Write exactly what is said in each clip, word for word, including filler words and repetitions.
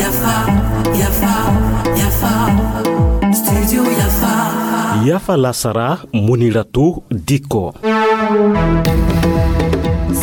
Yafa, yafa, yafa. Studio Yafa. Yafa lasara, Muniratu Dikko.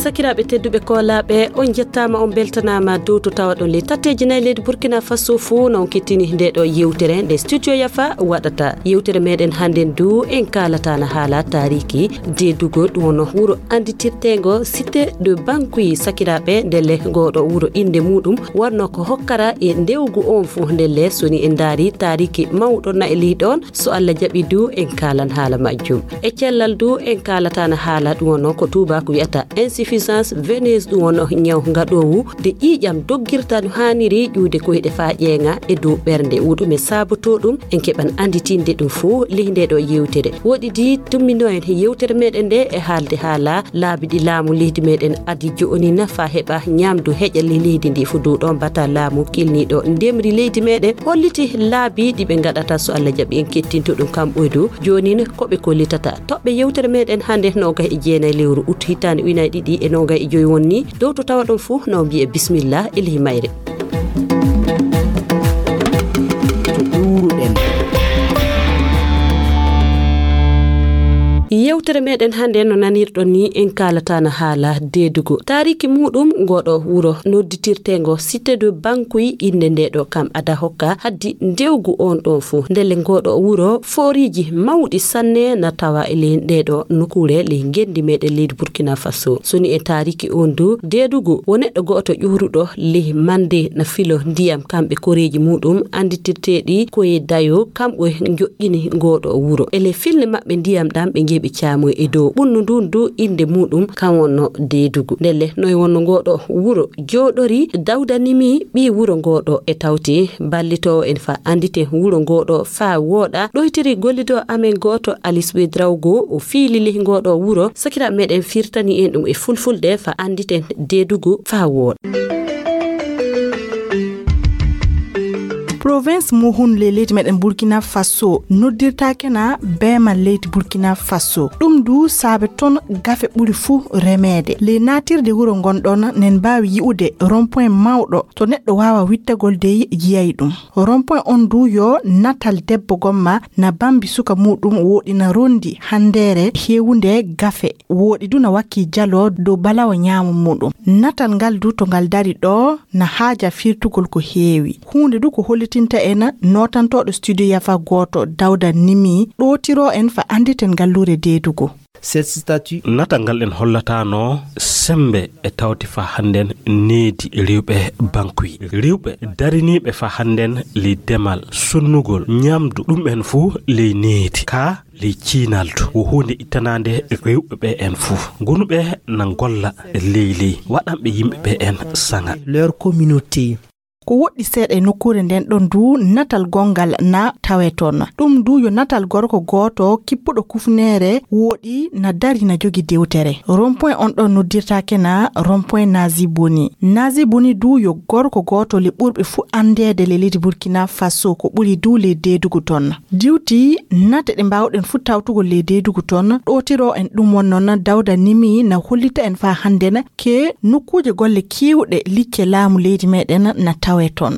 Sakiraaɓe tedduɓe koolaaɓe, on njettaama, on mbeltanaama dow to tawaɗon ley tatteeji nayi leydi Burkina Faso fuu, no on kettini nde ɗo yewtere nde Studio Yafa waɗata. Yewtere meɗen hannden du, en kaalata na haala taariki deedugo, ɗum wonno wuro annditirteengo Cité de Bankuyi. Sakiraaɓe, ndelle ngoo ɗo wuro innde muuɗum wonno ko hokkara e ndewgu on fuu. Ndelle so ni en ndaari taariki mawɗo na e ley ɗon, so Allah jaɓi du, en kaalan haala majjum. E cellal du, en kaalata na haala ɗum wonno ko tuubaaku wi'ata insuffisance veineuse, ɗum wonno ñaw ngaɗoowu nde ƴiiƴam doggirta no haaniri ƴuude koyɗe faa ƴeeŋa e dow ɓernde. Wo ɗume saabotoo ɗum? En keɓan annditinde ɗum fuu ley nde ɗo yewtere. Woɗɗidi, tumminoo en yewtere meɗen nde e haalde haala laabi ɗi laamu leydi meɗen adi jo'oni na faa heɓa ñamdu heƴa ley leydi ndi fuu. Dow ɗon bata laamu kilniiɗo ndemri leydi meɗen holliti laabi ɗi ɓe ngaɗata, so Allah jaɓi en kettinto ɗum kam ɓoydu. Joonin ko ɓe kollitata. Toɓɓe yewtere meɗen hannde noogayi e jeenayi lewru ut hitaande ujunaaji ɗiɗi e noogayi e joy wonni. Dow to tawaɗon fuu, no mbi'e bismillah e ley mayre. To ƴuuruɗen. Yewtere meɗen hannde, no nanirɗon ni, en kaalata na haala deedugo. Taariki muuɗum, ngoo ɗo wuro nodditirteengo Cité de Bankuyi, innde nde ɗo kam ada hokka haddi ndewgu on ɗon fuu. Ndelle ngoo ɗo wuro fooriiji mawɗi sanne na tawa e ley nde ɗo nokkuure ley ngenndi meɗen leydi Burkina Faso. So ni e taariki on du, deedugu wo neɗɗo go'oto ƴuuruɗo ley mande na filo ndiyam, kamɓe koreeji muuɗum annditirteeɗi ko e dayo, kamɓe njoƴƴini ngoo ɗo wuro. E ley filnde maɓɓe ndiyam ɗam ɓe njehi ɓe caamoyi e dow ɓunnu ndun du, innde muuɗum kam wonno deedugu. Ndelle noy wonno ngoo ɗo wuro jooɗori? Dawda Nimi, ɓii wuro ngoo ɗo, e tawti ballitoowo en faa annditen wuro ngoo ɗo faa wooɗa, ɗoytiri gollidoo amen gooto Alice Ouedraogo, o fiili ley ngoo ɗo wuro. Sakiraaɓe meɗen firtani en ɗum e fulfulde faa annditen deedugu faa wooɗa. Province Mouhoun ley leydi meɗen Burkina Faso noddirtaake na beemal leydi Burkina Faso. Ɗum du saabe ton gafe ɓuri fuu remeede. Ley naatirde wuro ngon ɗon, nen mbaawi yi'ude rond-point mawɗo to neɗɗo waawa wittagol dey yiyay ɗum. Rond-point on du yo natal debbo gomma na bambi suka muuɗum, wooɗi na rondi handeere heewunde gafe, wooɗi du na wakki jalo dow balawo ñaamo muuɗum. Natal ngal du to ngal dari ɗo na haaja firtugol ko heewi. Huunde du ko hollitinta en nootantooɗo studio Yafa gooto, Dawda Nimi, ɗootiro en fa annditen ngalluure deedugo. Cette statue. Natal ngal en hollataano sembe e tawti fa hannden needi rewɓe bankuyi. Rewɓe dariniiɓe fa hannden ley demal, sonnugol, ñamdu, ɗum en fuu ley needi. Ka ley ciinaldu, wo huunde ittanaande rewɓe ɓe en fuu. Gonuɓe na ngolla ley ley, waɗanɓe yimɓe ɓe en saŋa. Leur communauté. Ko woɗɗi seeɗa e nokkuure nden ɗon du natal gonngal na tawe toon. Ɗum du yo natal gorko gooto kippuɗo kufneere wooɗi na dari na jogi dewtere. Rond-point on ɗon noddirtaake na rond-point Nazi Boni. Nazi Boni du yo gorko gooto le ɓurɓe fuu anndeede le leydi Burkina Faso, ko ɓuri du le deedugu toon. Diwti nate ɗe mbaawɗen fuu tawtugol ley deedugu toon, ɗootiro en ɗum won noon Dawda Nimi na hollita en faa hannden ke nokkuuje golle keewɗe likke laamu leydi meɗen na tawe toon.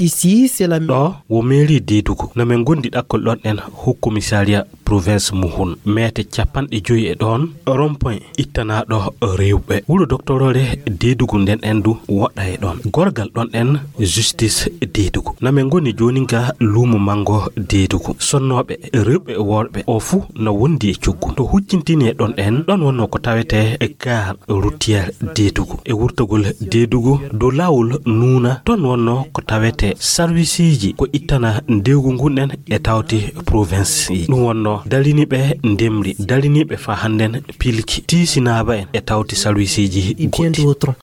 Ici, c'est la. Ɗo wo mairie deedugu. No men ngondi ɗakkol ɗon en haut commissariat province Mouhoun. Meete capanɗe joyi e ɗon rond-point ittanaaɗo rewɓe. Wuro doktoroore deedugu nden en du woɗɗa e ɗon. Gorgal ɗon en justice deedugu. Na men ngoni jooni ga luumo mango deedugu. Sonnooɓe rewɓe e worɓe o fuu na wondi e coggu. To huccintini e ɗon en, ɗon wonno ko tawete e gare routière deedugu. E wurtagol deedugu dow laawol nuuna, ton wonno ko tawete sarwisiiji ko ittana ndewgu ngun en e tawti province. Ɗum wonno dariniiɓe ndemri, dariniiɓe fa hannden pilki, tiisinaaba en e tawti sarwisiiji goɗɗi.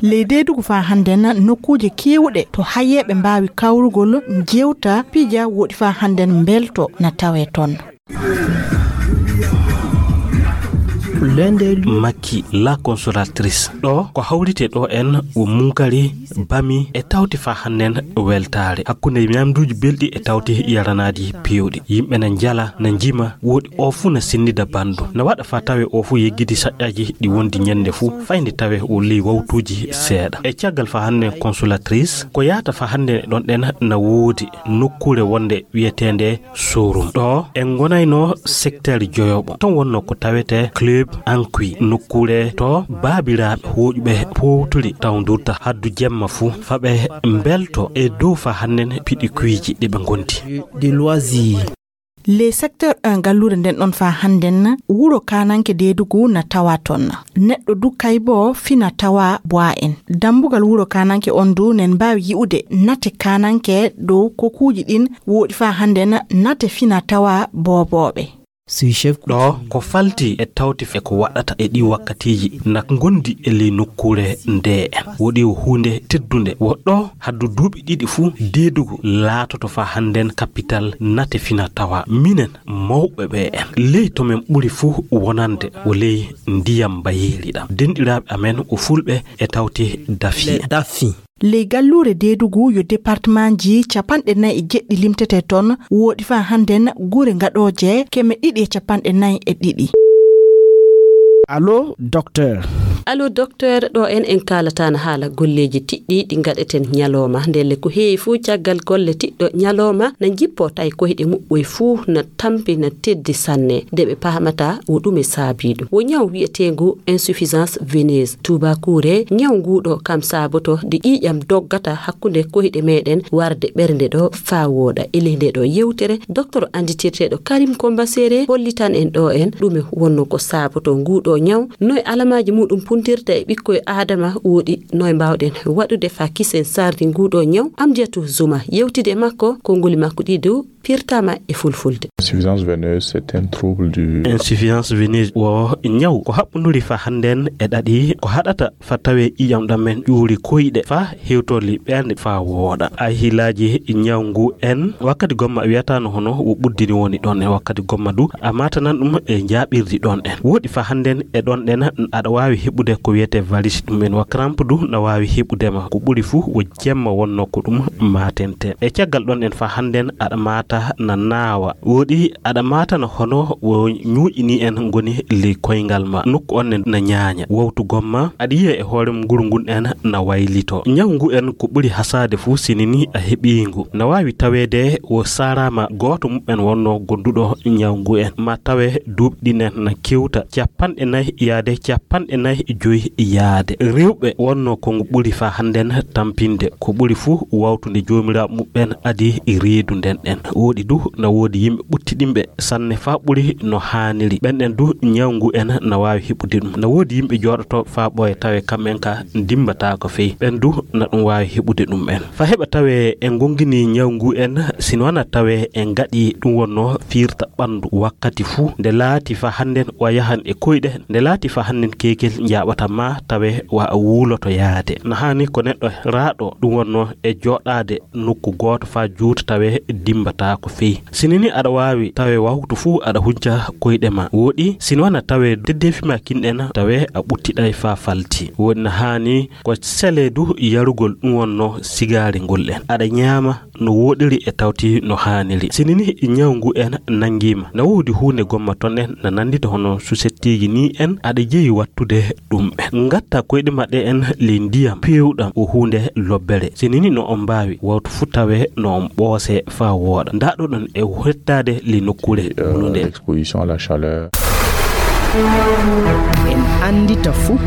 Ley deedugu fa hannden nokkuuje keewɗe to hayeeɓe mbaawi kawrugol, jewta, pija, woɗi fa hannden mbelto na tawe ton. L'un des lieux. Makki, la consolatrice. Ɗo ko hawrite ɗo en o munkari, bami e tawti fa hannden weltaare. Hakkunde ñamduuji belɗi e tawti yaranaaji peewɗi. Yimɓe na njala, na njima, woɗi o fuu na senndida banndum. Na waɗa fa tawe o fuu yeggiti saƴƴaaji ɗi wondi ñannde fuu, fayde tawe o ley wawtuuji seeɗa. E caggal fa hannden consolatrice, ko yahata fa hannden e ɗon ɗen na woodi nokkuure wonde wiyeteende showroom. Ɗo en ngonayno secteur joyoɓo. Ton wonno ko tawete club Anqui, nokkuure to baabiraaɓe hooƴuɓe powtiri tawdurta haddu jemma fuu, fa ɓe mbelto e dow fa hannden piɗi kuyji ɗi ɓe ngondi. De loisirs. Les secteur un galluure nden ɗon fa hannden wuro kananke deedugu na tawa ton. Neɗɗo du kaybo fina tawa boa en. Dambugal wuro kananke on du nen mbaawi yi'ude nate kananke dow kokuuji ɗin woɗi fa hannden nate fina tawa boobooɓe. Sous-chef. Ɗo ko falti e tawti e ko waɗata e ɗi wakkatiiji na ngondi e ley nokkuure nde en. Woɗi o huunde teddunde. Woɗɗo haddu duuɓi ɗiɗi fuu deedugu laatoto fa hannden kapital nate fina tawa. Minen mawɓe ɓe en. Ley to men ɓuri fuu wonande o ley ndiyam mbayeeri ɗam. Denɗiraaɓe amen o fulɓe e tawti dafi. Dafi. Ley galluure deedugu yo départementji capanɗe nayi e jeɗɗi limtete ton, woɗi fa hannden gure ngaɗooje keme ɗiɗi e capanɗe nayi e ɗiɗi. Allo, docteur. Allo, docteur, ɗo en, en kaalataana haala golleeji tiɗɗi ɗi ngaɗeten ñalooma. Ndelle ko heewi fuu caggal golle tiɗɗo ñalooma na njippo tawi koyɗe muɓɓoy fuu na tampi na teddi sanne. Nde ɓe paamata wo ɗume saabii ɗum. Wo ñaw wiyeteengu insuffisance veineuse. Tuubakuure, ñaw nguu ɗo kam saaboto nde ƴiiƴam doggata hakkunde koyɗe meɗen warde ɓernde ɗo faa wooɗa. E ley nde ɗo yewtere, docteur annditirteeɗo Karim Komba Sere hollitan en ɗo en ɗume wonno ko saaboto nguu ɗo ñaw, noy alamaaji muɗum puntirta e ɓikkoy Aadama woɗi, noy mbaawɗen waɗude faa kisen sardi nguu ɗo ñaw. Amdiyatu Zuma yewtidi e makko, konnguli makko ɗi du pirtama e fulfulde. Insuffisance veineuse, c'est un trouble du. Insuffisance veineuse wo ñaw ko haɓɓunduri fa hannden e ɗaɗi, ko haɗata fa tawe ƴiiƴam ɗam men ƴuuri koyɗe fa hewtorli ɓernde fa wooɗa. Ay hiilaaji ñaw ngu en wakkati gomma wiyata no hono wo ɓuddini woni ɗon en wakkati gomma du a matanan ɗum e njaaɓirdi ɗon en. Woɗi fa hannden e ɗon ɗen aɗa waawi heɓude ko wiyete varis ɗum en wa crampe du na waawi heɓude ma. Ko ɓuri fuu wo jemma wonno ko ɗum matente. E caggal ɗon en fa hannden aɗa mata na naawa. Woɗi aɗa mata na hono wo ñuuƴi ni en ngoni ley koyngal ma. Nokku on ne na ñaaña. Wawtu gomma aɗa yiya e hoore nguru ngun en na waylito. Ñaw ngu en ko ɓuri hasaade fuu sinini a heɓii ngu. Na waawi taweede wo saaraama gooto muɓɓen wonno gonduɗo ñaw ngu en. Ma tawe duuɓi ɗin en na kewta capanɗe nayi yaade capanɗe nayi e joyi yaade. Rewɓe wonno ko ngu ɓuri fa hannden tampinde. Ko ɓuri fuu wawtude joomiraaɓe muɓɓen adi reedu nden ɗen. Woɗi du na woodi yimɓe ɓuttiɗinɓe sanne fa ɓuri no haaniri. Ɓen ɗen du ñaw ngu en na waawi heɓude ɗum. Na woodi yimɓe jooɗoto fa ɓooya tawe kamɓen ka ndimbataako fey. Ɓen du na ɗum waawi heɓude ɗum en. Fa heɓa tawe en ngongini ñaw ngu en, sino wana tawe en ngaɗi ɗum wonno fiirta ɓanndu wakkati fuu. Nde laati fa hannden o yahan e koyɗe, nde laati fa hannden keekel njaaɓata ma tawe wa a wuuloto yaade. Na haani ko neɗɗo raaɗo ɗum wonno e jooɗaade nokku gooto faa juuta tawe dimmbataako fey. Sinini aɗa waawi tawe wawtu fuu aɗa hunca koyɗe ma. Woɗi, sino wana tawe deddeefi ma kinɗen tawe a ɓuttiɗay faa falti. Woɗi na haani ko sele du yarugol ɗum wonno sigaari ngol en. Aɗa ñaama no woɗiri e tawti no haaniri. Sinini ñaw ngu en nanngiima. Na woodi huunde gomma ton en na nanndita hono susettiiji ni en aɗa jeyi wattude ɗum en. Ngatta koyɗe maɗɗe en ley ndiyam peewɗam o huunde lobbere. Sinini no on mbaawi wawtu fuu tawe no on ɓoose faa wooɗa. Ndaa ɗo ɗon e hettaade ley nokkuure wulunde. Exposition à la chaleur. En anndita fuu.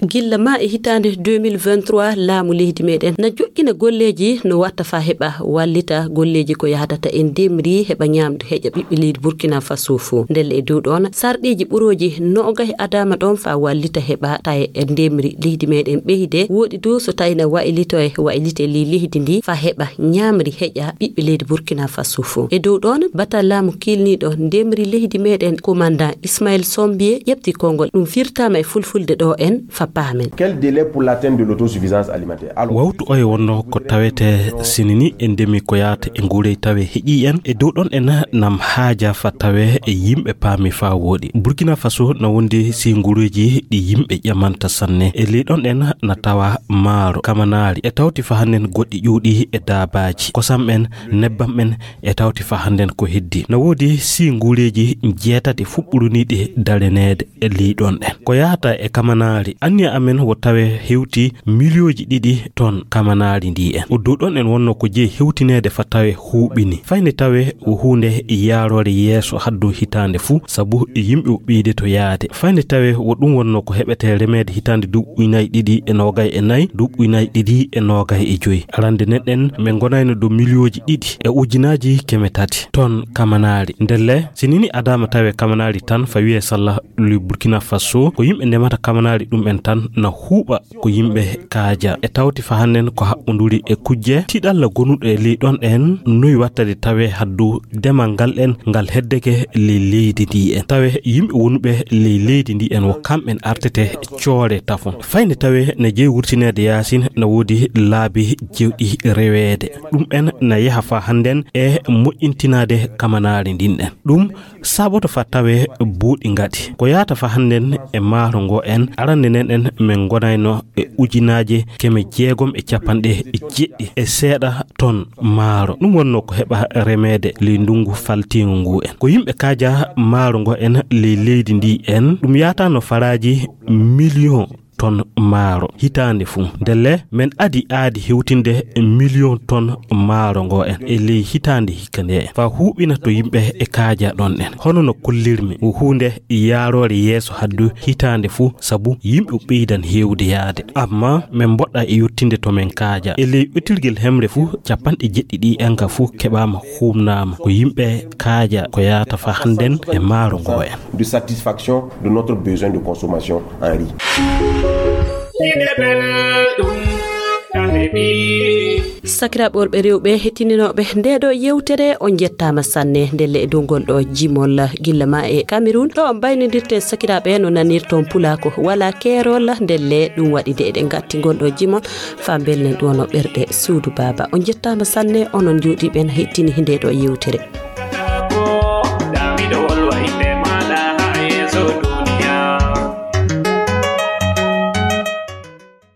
Gilla ma e hitaande deux mille vingt-trois, laamu leydi meɗen na joɗɗina golleeji no watta fa heɓa wallita golleeji ko yahdata e ndemri, heɓa ñamdu, heƴa ɓiɓɓe leydi Burkina Faso fof. Ndelle e dow ɗon, sarɗiiji ɓurooji noogay adaama ɗon fa wallita heɓa taye e ndemri leydi meɗen ɓeyde. Woɗi dow so tawi na waylito e waylite ley leydi ndi fa heɓa ñamri, heƴa ɓiɓɓe leydi Burkina Faso fof. E dow ɗon, batal laamu kiilniiɗo ndemri leydi meɗen, commandant Ismaël Sombie, ƴeɓti konngol. Ɗum firtaama e fulfulde ɗo en fa Paamen. Quel délai pour l'atteinte de l'autosuffisance alimentaire? Alors, wawtu oye wonno ko tawete sinini e ndemi ko yaata e nguurey tawe heƴi en e dow ɗon en nam haaja fa tawe e yimɓe paami fa wooɗi. Burkina Faso na wondi si nguureeji ɗi yimɓe ƴamanta sanne. E ley ɗon en na tawa maaro, kamanaari, e tawti fa hannden goɗɗi ƴuuɗi e daabaaji, kosam en, nebbam en, e tawti fa hannden ko heddi. Na woodi si nguureeji jeetati fuɓɓuruniiɗi dareneede e ley ɗon en. Ko yaata e kamanaari, anniya amen wo tawe hewti miliyooji ɗiɗi ton kamanaari ndi en. O dow ɗon en wonno ko jeyi hewtineede fa tawe huuɓini. Fayne tawe wo huunde yaaroore yeeso haddu hitaande fuu, sabu yimɓe o ɓeyde to yaade. Fayne tawe wo ɗum wonno ko heɓete remeede hitaande duuɓi ujunnaaji ɗiɗi e noogay e nayi, duuɓi ujunnaaji ɗiɗi e noogay e joyi. Arande nen ɗen, min ngonayno dow miliyooji ɗiɗi e ujunnaaji keme tati ton kamanaari. Ndelle, si nini adaama tawe kamanaari tan fa wiye salla lui Burkina Faso, ko yimɓe ndemata kamanaari ɗum en tan na huuɓa ko yimɓe kaaja. E tawti fa hannden ko haɓɓonduri e kujje tiɗalla gonuɗo e ley ɗon en noy wattade tawe haddu demal ngal en ngal heddeke ley leydi ndi en. Tawe yimɓe wonuɓe ley leydi ndi en wo kamɓen artete coore tafon. Fayde tawe ne jeyi wurtineede yaasin na woodi laabi jewɗi reweede. Ɗum en na yaha fa hannden e moƴƴintinaade kamanaari ndin en. Ɗum saboto fa tawe buuɗi ngaɗi. Ko yaata fa hannden e maaro ngo en, arande nen en min ngonayno e ujunnaaje keme jeegom e capanɗe jeɗɗi e seeɗa ton maaro. Ɗum wonno ko heɓa remeede ley ndungu faltiingu ngu en. Ko yimɓe kaaja maaro ngo en ley leydi ndi en, ɗum yaatano faraaji miliyon ton maaro hitaande fuu. Ndelle, men adi aadi hewtinde miliyon ton maaro ngo en e ley hitaande hikka nde en. Fa huuɓina to yimɓe e kaaja ɗon en. Hono no kollirmi, wo huunde yaaroore yeeso haddu hitaande fuu, sabu yimɓe o ɓeydan heewde yaade. Amma men mboɗɗa e yottinde to men kaaja. E ley ɓetirgel hemre fuu, capanɗe jeɗɗi ɗi en ka fuu keɓaama huumnaama. Ko yimɓe kaaja ko yaata fa hannden e maaro ngo en. De satisfaction de notre besoin de consommation en riz. Sakiraaɓe worɓe rewɓe hettininooɓe nde ɗo yewtere, on njettaama sanne. Ndelle e dow ngol ɗo jimol gilla ma e Cameroun, ɗo on mbaynodirten sakiraaɓe no nanirton pulaako, wala keerol. Ndelle ɗum waɗi de eɗen ngatti ngol ɗo jimol fa mbelnen ɗum no ɓerɗe suudu baaba. On njettaama sanne, onon jooɗiiɓe na hettini nde ɗo yewtere.